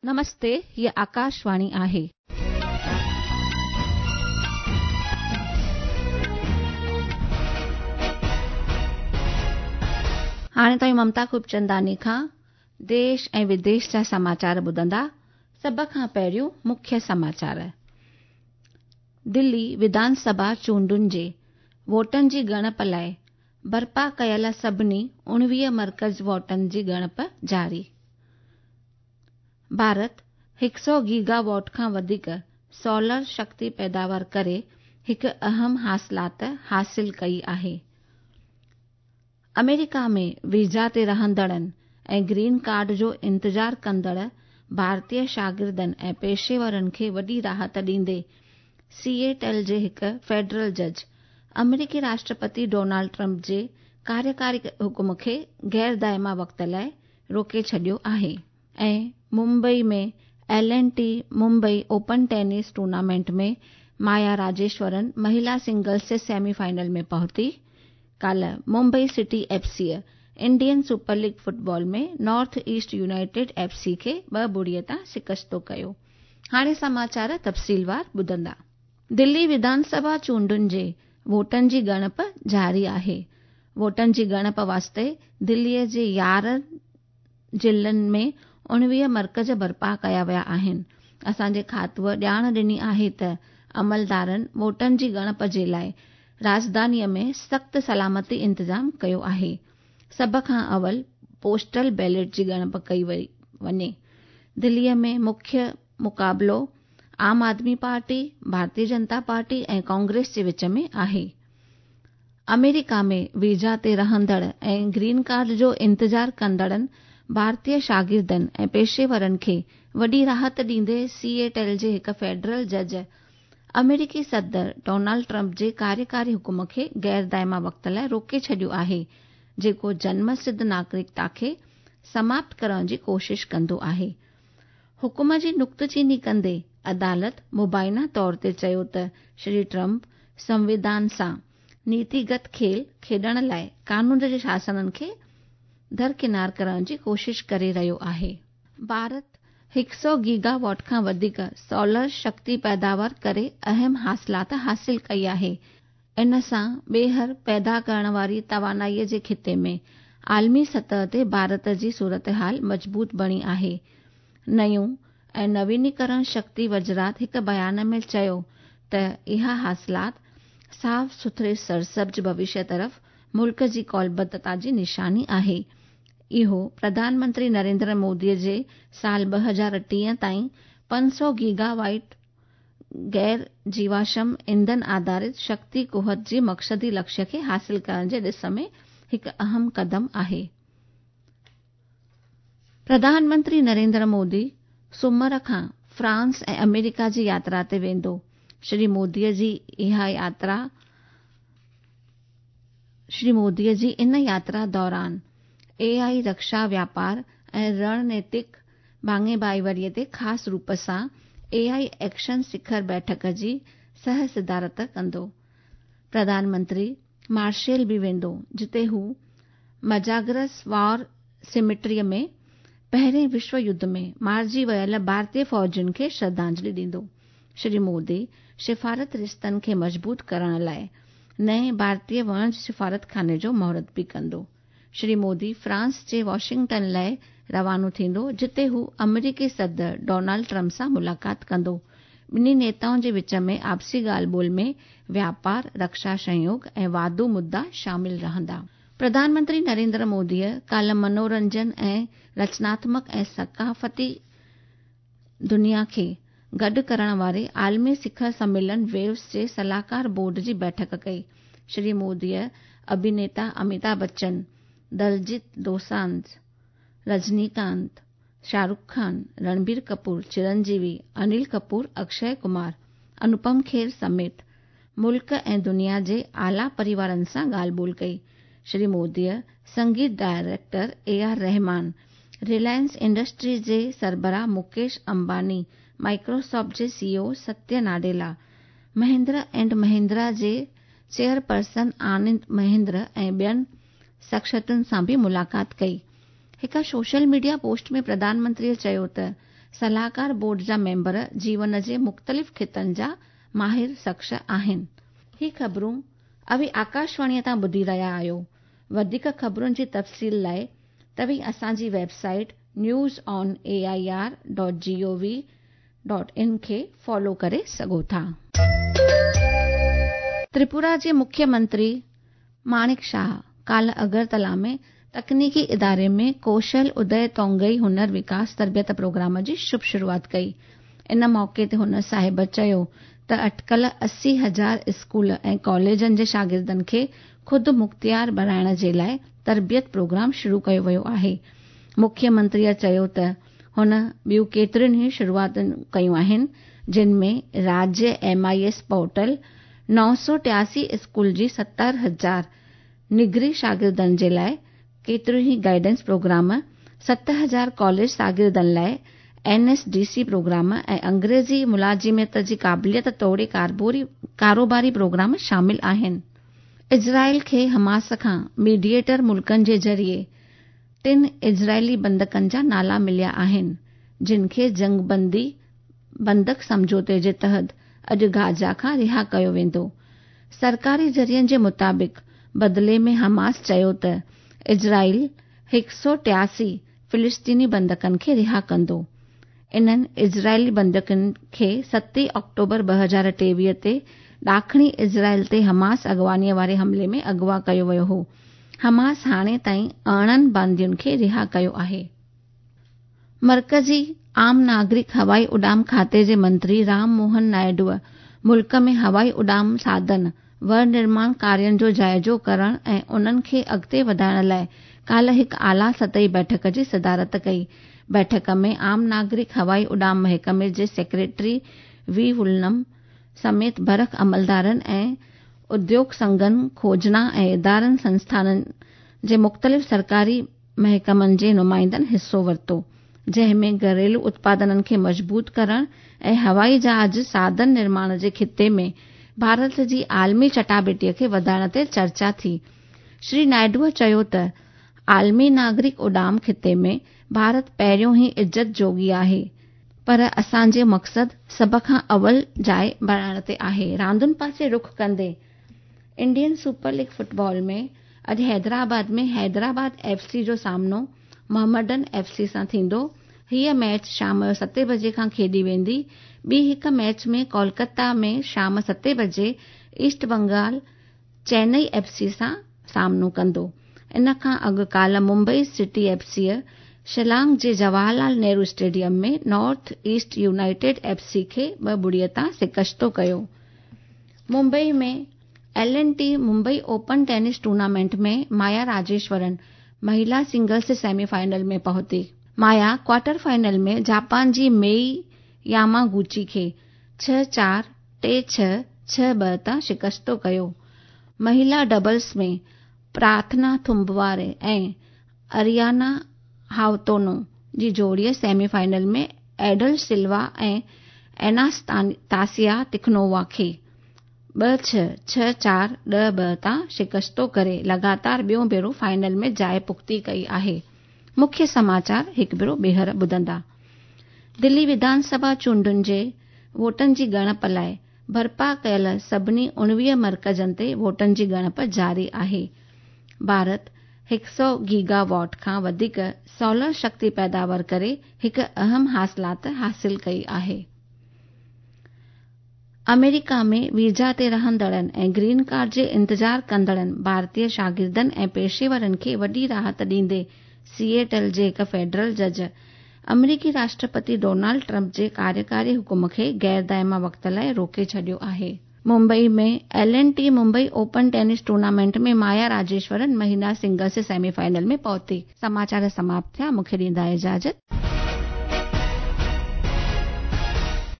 نمستي، هيء آڪاشواڻي آهي. هاڻي توهين ممتا خوبچنداني کان ديش ۽ وديش جا سماچار ٻڌندا. سڀ کان پهريون مکيه سماچار. دلي وڌان سڀا چونڊن جي ووٽن جي ڳڻپ لاء برپا ڪيل سڀني 19 مرڪز ووٽن جي ڳڻپ جاري. ڀارت هڪ سئو گيگا واٽ کان وڌيڪ سولر شڪتي پيداوار ڪري هڪ اهم حاصلات حاصل ڪئي آهي. آمريڪا ۾ ويزا تي رهندڙن ۽ گرين ڪارڊ جو انتظار ڪندڙ ڀارتي شاگردن ۽ پيشيورن کي وڏي راحت ڏيندي سيئيٽل جي هڪ فيڊرل جج آمريڪي راشٽرپتي ڊونالڊ ٽرمپ جي ڪاريڪاري حڪم کي غير دائما وقت لاء روڪي ڇڏيو آهي. ۽ Mumbai ۾ L and T Mumbai open tennis tournament ۾ Maaya Rajeshwaran مهلا سنگلز جي سيمي فائنل ۾ پهتي. ڪالهه Mumbai city F C Indian super league football ۾ north east united F C کي 2-0 تان شڪستو ڪيو. هاڻي سماچار تفصيلوار ٻڌندا. دلي وڌان سڀا چونڊن جي ووٽن جي ڳڻپ جاري آهي. ووٽن جي ڳڻپ واسطي دليء جي 11 ضلعن ۾ 19 مرڪز برپا ڪيا ويا آهن. اسان جي کاتوء ڄاڻ ڏني آهي ته عملدارن ووٽن جي ڳڻپ جي لاء راڄڌانيء ۾ سخت سلامتي انتظام ڪيو آهي. سڀ کان اول پوسٽل بيلٽ جي ڳڻپ ڪئي وڃي. دليء ۾ مکيه مقابلو عام آدمي پارٽي، ڀارتي جنتا پارٽي ۽ ڪانگريس جي وچ ۾ آهي. آمريڪا ۾ ويزا تي رهندڙ ۽ گرين ڪارڊ جو انتظار ڪندڙن ڀارتي شاگردن ۽ پيشيورن کي وڏي راحت ڏيندي سيئيٽل جي هڪ فيڊرل جج آمريڪي صدر ڊونالڊ ٽرمپ جي ڪاريڪاري حڪم کي غير دائما وقت لاء روڪي ڇڏيو آهي جيڪو جنم سڌ ناگرڪتا کي سماپت ڪرڻ جي ڪوشش ڪندو آهي. حڪم جي نقطه چيني ڪندي عدالت مبينا طور تي چيو ته شري ٽرمپ سنوڌان سان نيتيگت کيل کيڏڻ لاء قانون جي شاسنن کي درڪنار ڪرڻ جي ڪوشش ڪري رهيو آهي. ڀارت هڪ سئو گيگا واٽ کان وڌيڪ سولر شڪتي پيداوار ڪري اهم حاصلات حاصل ڪئي آهي. ان سان ٻيهر پيدا ڪرڻ واري توانائي جي خطي ۾ عالمي سطح تي ڀارت جي صورتحال مضبوط بڻي آهي. نيون ۽ نوينيڪرڻ شڪتي وزارت هڪ بيان ۾ چيو ته اها حاصلات صاف سٿري سرسبز ڀوشيه طرف ملڪ جي قولبڌتا جي نشاني آهي. اهو پرڌان منتري نريندر مودي جي سال 2030 تائين 500 گيگا وائٽ غير جيواشم ايندھن آڌارت شڪتي قوت جي مقصدي لڪشيه کي حاصل ڪرڻ جي ڏس ۾ هڪ اهم قدم آهي. پرڌان منتري نريندر مودي سومر کان فرانس ۽ آمريڪا جي ياترا تي ويندو. شري مودي جي اها ياترا شري مودي جي ان ياترا دوران اي آء رڪشا واپار ۽ رڻنيتڪ ڀاڱي ڀائيواريء تي خاص روپ سان اي I action سکر بيٺڪ جي سهه صدارت ڪندو. پرڌان منتري مارشيل به ويندو جتي هو مجاگرس وار سيميٽريء ۾ پهرين وشو يڌ ۾ مارجي ويل ڀارتي فوجين کي شرڌانجلي ڏيندو. شري مودي سفارت رشتن کي مضبوط ڪرڻ لاء نئين ڀارتي وڻج سفارتخاني جو مهورت به ڪندو. شري مودي فرانس جي واشنگٽن لاء روانو ٿيندو جتي هو آمريڪي صدر ڊونالڊ ٽرمپ سان ملاقات ڪندو. ٻنهي نيتائن جي وچ ۾ آپسي ڳالهه ٻولهه ۾ واپار، رڪشا سهيوگ ۽ واڌو مدعا شامل رهندا. پرڌان منتري نريندر موديء ڪالهه منورنجن ۽ رچناتمڪ ۽ ثقافتي دنيا کي گڏ ڪرڻ واري عالمي سکر سميلن ويوز جي صلاحڪار بورڊ جي بيٺڪ ڪئي. شري موديء اڀينيتا اميتاڀ بچن، دلجيت دوسانجهه، رجني ڪانت، شاهه رخ خان، رڻبير ڪپور، چرنجيوي، انيل ڪپور، اڪشي ڪمار، انوپم کير سميت ملڪ ۽ دنيا جي اعليٰ پريوارن سان ڳالهه ٻولهه ڪئي. شري موديء سنگيت director A R Rahman, Reliance industries جي سربراهه مڪيش امباني، مائيڪروسافٽ جي C E O Satya Nadella, Mahindra and Mahindra جي چيئرپرسن آنند مهندر ۽ ٻين شخصيتن سان به ملاقات ڪئي. هڪ سوشل ميڊيا پوسٽ ۾ پرڌان منتريء چيو ته صلاحڪار بورڊ جا ميمبر جيون جي مختلف خطن جا ماهر شخص آهن. هي خبرون اوهين آڪاشواڻيء تان ٻڌي رهيا آهيو. وڌيڪ خبرن جي تفصيل لاء توهين اسان جي website news on A I R dot G O V dot in کي فالو ڪري سگهو ٿا. تريپورا جي مکيه منتري ماڻڪ شاهه ڪالهه اگرتلا ۾ تڪنيڪي اداري ۾ ڪوشل ادي تونگئي هنر وڪاس تربيت پروگرام جي شڀ شروعات ڪئي. ان موقعي تي هن صاحب چيو ته اٽڪل 80,000 اسڪول ۽ ڪاليجن جي شاگردن کي خود مختيار بڻائڻ جي لاء تربيت پروگرام شروع ڪيو ويو آهي. مکيه منتريء چيو ته هن ٻيون ڪيتريون ئي شروعاتون ڪيون آهن، جن ۾ راجيه M I S portal, 983 school جي 70,000 نگري شاگردن جي لاء ڪيتريون ئي گائيڊنس پروگرام، 7000 ڪاليج شاگردن لاء N S D C programme ۽ انگريزي ملازمت جي قابليت توڙي ڪاروباري پروگرام شامل آهن. اسرائيل کي حماس کان ميڊيئيٽر ملڪن جي ذريعي ٽن اسرائيلي بندڪن جا نالا مليا آهن، جن کي جنگبندي بندڪ سمجهوتي جي تحت اڄ غازه کان رها ڪيو ويندو. سرڪاري ذريعن جي مطابق بدلي ۾ حماس چيو ته اسرائيل 183 فلسطيني بندڪن کي رها ڪندو. انهن اسرائيلي بندڪن کي 7 آڪٽوبر 2023 تي ڏاکڻي اسرائيل تي حماس اڳواڻيء واري حملي ۾ اغوا ڪيو ويو هو. حماس هاڻي تائين 18 باندين کي رها ڪيو آهي. مرڪزي عام ناگرڪ هوائي اڏام کاتي جي منتري رام موهن نائيڊوء ملڪ ۾ هوائي اڏام ساڌن ونرماڻ ڪارين جو جائزو ڪرڻ ۽ انهن کي اڳتي وڌائڻ لاء ڪالهه هڪ اعليٰ سطحي بيٺڪ جي صدارت ڪئي. بيٺڪ ۾ عام ناگرڪ هوائي اڏام محڪمي جي سيڪريٽري وي ولنم سميت برک عملدارن ۽ اديوگ سنگهن، کوجنا ۽ ادارن سنسٿانن جي مختلف سرڪاري محڪمن جي نمائندن حصو ورتو، جنهن ۾ گهريلو اتپادنن کي مضبوط ڪرڻ ۽ هوائي جهاز ساڌن نرماڻ جي خطي ۾ ڀارت جي عالمي چٽاڀيٽي کي وڌائڻ تي چرچا ٿي. شري نائيڊوء چيو ته عالمي ناگرڪ اڏام خطي ۾ ڀارت پهريون ئي عزت جوڳي آهي، پر اسان جو مقصد سڀ کان اول جاء بڻائڻ تي آهي. راندن پاسي رخ ڪندي انڊين سپر ليگ فٽبال ۾ اڄ حيدرآباد ۾ حيدرآباد ايف سي جو سامنو محمڊن ايف سي سان ٿيندو. هيء ميچ شام جو ستين بجي کان کيڏي ويندي. ٻي هڪ ميچ ۾ ڪولڪتا ۾ شام ستين بجي East Bengal Chennai F C سان سامنو ڪندو. ان کان اڳ ڪالهه ممبئي سٽي ايف سيء شلانگ جي Jawahar Lal Nehru stadium ۾ North East United F C کي 2-0 تان شڪستو ڪيو. Mumbai ۾ L and T Mumbai open tennis tournament ۾ Maaya Rajeshwaran مهلا سنگلز سيمي فائنل ۾ پهتي. مايا ڪوارٽر فائنل ۾ جاپان جي ميئي ياماگوچي کي 6-4، 3-6، 6-2 تان شڪستو ڪيو. مهلا ڊبلز ۾ پرارٿنا ٿمبواري ۽ اريانا هاوتونو جي جوڙيء سيمي فائنل ۾ ايڊل سلوا ۽ ايناستاسيا تخنووا کي 2-6، 6-4، 10-2 تان شڪستو ڪري لڳاتار ٻيون ڀيرو فائنل ۾ جاء پختي ڪئي آهي. مکيه سماچار هڪ ڀيرو ٻيهر ٻڌندا. دلي وڌان سڀا چونڊن جي ووٽن جي ڳڻپ لاء برپا ڪيل سڀني 19 مرڪزن تي ووٽن جي ڳڻپ جاري آهي. ڀارت 100 گيگا واٽ کان وڌيڪ سولر شڪتي پيداوار ڪري هڪ اهم حاصلات حاصل ڪئي آهي. آمريڪا ۾ ويزا تي رهندڙن ۽ گرين ڪارڊ جي انتظار ڪندڙن ڀارتي شاگردن ۽ پيشيورن کي وڏي راحت ڏيندي سيئيٽل جي هڪ فيڊرل جج آمريڪي راشٽرپتي ڊونلڊ ٽرمپ جي ڪاريڪاري حڪم کي غير دائما وقت لاء روڪي ڇڏيو آهي. Mumbai ۾ L and T Mumbai open tennis tournament ۾ Maya Rajeshwaran مهلا سنگلز سيمي فائنل ۾ پهتي. سماچار سماپت ٿيا، مون کي ڏيندا اجازت.